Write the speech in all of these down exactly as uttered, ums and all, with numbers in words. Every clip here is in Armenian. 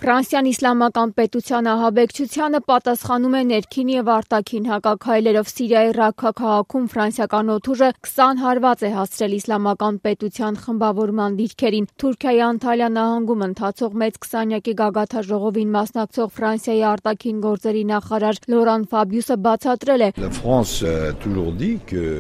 Ֆրանսիան իսլամական պետության ահաբեկչությանը պատասխանում է ներքին և արտաքին հակաքայլերով։ Սիրիայի Ռաքքա քաղաքում ֆրանսիական օդուժը քսան հարված է հասցրել իսլամական պետության խմբավորման դիրքերին։ Թուրքիայի Անտալիա նահանգում ընթացող մեծ քսանյակի գագաթնաժողովին մասնակցող Ֆրանսիայի արտաքին գործերի նախարար Լորան Ֆաբիուսը բացատրել է.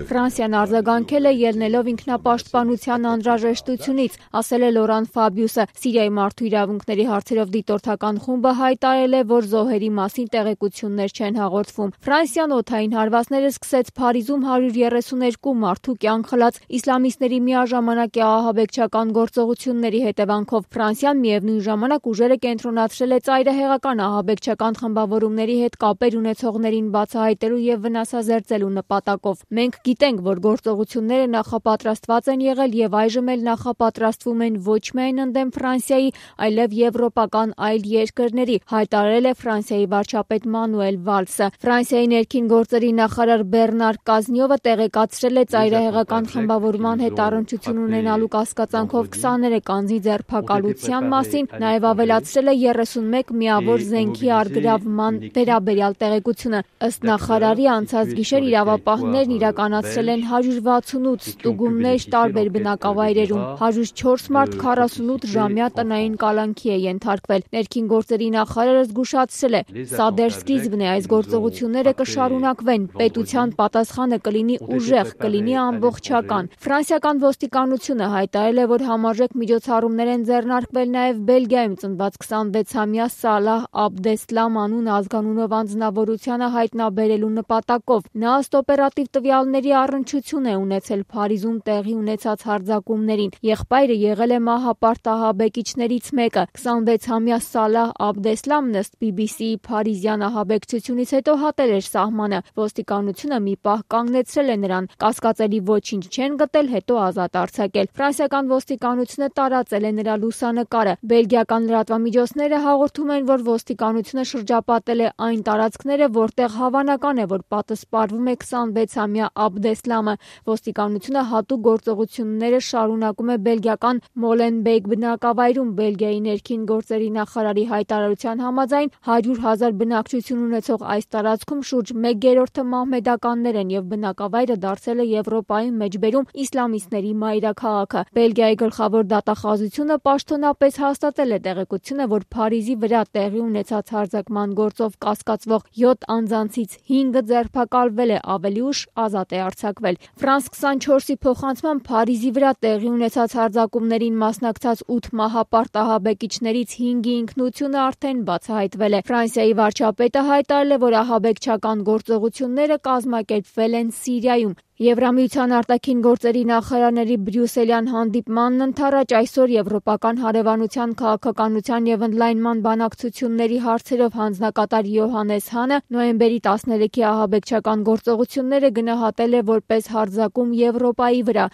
Ֆրանսիան արձագանքել է ելնելով ինքնապաշտպանության անհրաժեշտությունից, ասել է Լորան Ֆաբիուսը։ Սիրիայի մարդու իրավունքների հարցերով դիտորդական խումբը հայտարարել է, որ զոհերի մասին տեղեկություններ չեն հաղորդվում։ Ֆրանսիան օդային հարվածները սկսեց Փարիզում հարյուր երեսուներկու մարդու կյանք խլած իսլամիստների միաժամանակ ահաբեկչական գործողությունների հետևանքով։ Ֆրանսիան միևնույն ժամանակ ուժերը կենտրոնացրել է ծայրահեղական ահաբեկչական խմբավորումների հետ կապեր ունեցողներին բացահայտելու և վնասազերծելու նպատակով։ Մենք գիտենք, որ գործողությունները նախապատրաստված են եղել և այժմ էլ նախապատրաստվում են ոչ միայն ընդդեմ Ֆրանսիայի, այլև եվրոպական այլ երկրների, հայտարարել է Ֆրանսիայի վարչապետ Մանուել Վալսը։ Ֆրանսիայի ներքին գործերի նախարար Բեռնար Կազնյովը տեղեկացրել է ծայրահեղական խմբավորման հետ առնչություն ունենալու կասկածանքով քսաներեք անձի ձերբակալության մասին, նաև ավելացրել է երեսունմեկ միավոր զենքի առգրավման վերաբերյալ տեղեկությունը։ Ըստ նախարարի, անցած գիշեր իրավապահներն իրականացրել են հարյուր վաթսունութ ստուգումներ տարբեր բնակավայրերում։ հարյուր չորս մարդ քառասունութ ժամյա տնային կալանքի է ենթարկվել։ Ներքին գործերի նախարարը զգուշացրել է. Սա դեռ սկիզբն է, այս գործողությունները կշարունակվեն, պետության պատասխանը կլինի ուժեղ, կլինի ամբողջական։ Ֆրանսիական ոստիկանությունը հայտարարել է, որ համարժեք միջոցառումներ են ձեռնարկվել նաև Բելգիայում ծնված քսանվեցամյա Սալահ Աբդեսլամ անուն ազգանունով անձնավորությանը հայտնաբերելու նպատակով։ Նա ըստ օպերատիվ տվյալների առնչություն է ունեցել Փարիզում տեղի ունեցած հարձակումներին։ Եղբայրը եղել է մահապարտ ահաբեկիչներից մեկը։ քսանվեցամյա Սալահ Աբդեսլամն ըստ բի բի սիի փարիզյան ահաբեկչությունից հետո հատել էր սահմանը։ Ոստիկանությունը մի պահ կանգնեցրել է նրան, կասկածելի ոչինչ չեն գտել, հետո ազատ արձակել։ Ֆրանսիական ոստիկանությունը տարածել է նրա լուսանկարը։ Բելգիական լրատվամիջոցները հաղորդում են, որ ոստիկանությունը շրջապատել է այն տարածքները, որտեղ հավանական է, որ պատսպարվում է քսանվեցամյա Աբդեսլամը։ Ոստիկանությունը հատուկ գործողությունները շարունակում է բելգիական Մոլենբեյք բնակավայրում։ Բելգիայի ներքին գործերի նախարարի հայտարարության համաձայն հարյուր հազար բնակչություն ունեցող այս տարածքում շուրջ մեկ երրորդը մահմեդականներ են և բնակավայրը դարձել է Եվրոպայի մեջբերում իսլամիստների մայրաքաղաքը։ Բելգիայի գլխավոր դատախազությունը պաշտոնապես հաստատել է տեղեկությունը, որ Փարիզի վրա տեղի ունեցած հարձակման գործով կասկածվող յոթ անձանցից հինգը ձերբակալվել է, ավելի ուշ ազատ է արձակվել։ Ֆրանս քսանչորսի փոխանցմամբ Փարիզի վրա տեղի ունեցած հարձակումներին մասնակցած ութ մահապարտ ահաբեկիչներից հինգի ինքնությունը արդեն բացահայտվել է։ Ֆրանսիայի վարչապետը հայտարարել է, որ ահաբեկչական գործողությունները կազմակերպվել են Սիրիայում։ Եվրամիության արտաքին գործերի նախարարների բրյուսելյան հանդիպմանն ընդառաջ այսօր Եվրոպական հարևանության քաղաքականության և ընդլայնման բանակցությունների հարցերով հանձնակատար Յոհաննես Հանը նոյեմբերի տասներեքի ահաբեկչական գործողությունները գնահատել է որպես հարձակում Եվրոպայի վրա։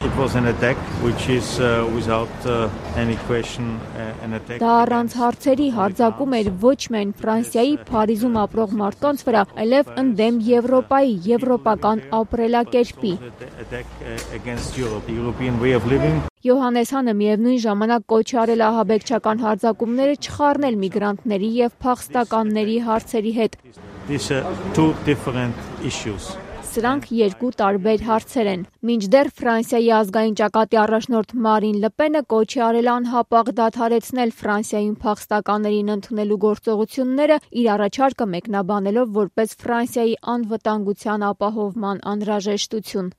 Դա առանց հարցերի հարձակում էր ոչ միայն Ֆրանսիայի Փարիզում ապրող մարդկանց վրա, այլև ընդդեմ Եվրոպայի, եվրոպական ապրելակերպի։ Յոհաննես Հանը միևնույն ժամանակ կոչ է արել ահաբեկչական հարձակումները չխառնել միգրանտների և փախստականների հարցերի հետ։ Սրանք երկու տարբեր հարցեր են։ Մինչդեռ Ֆրանսիայի ազգային ճակատի առաջնորդ Մարին Լպենը կոչ է արել անհապաղ դադարեցնել Ֆրանսիայում փախստականներին ընդունելու գործողությունները, իր առաջարկը մեկնաբանելով որպես Ֆրանսիայի անվտանգության ապահովման անհրաժեշտություն։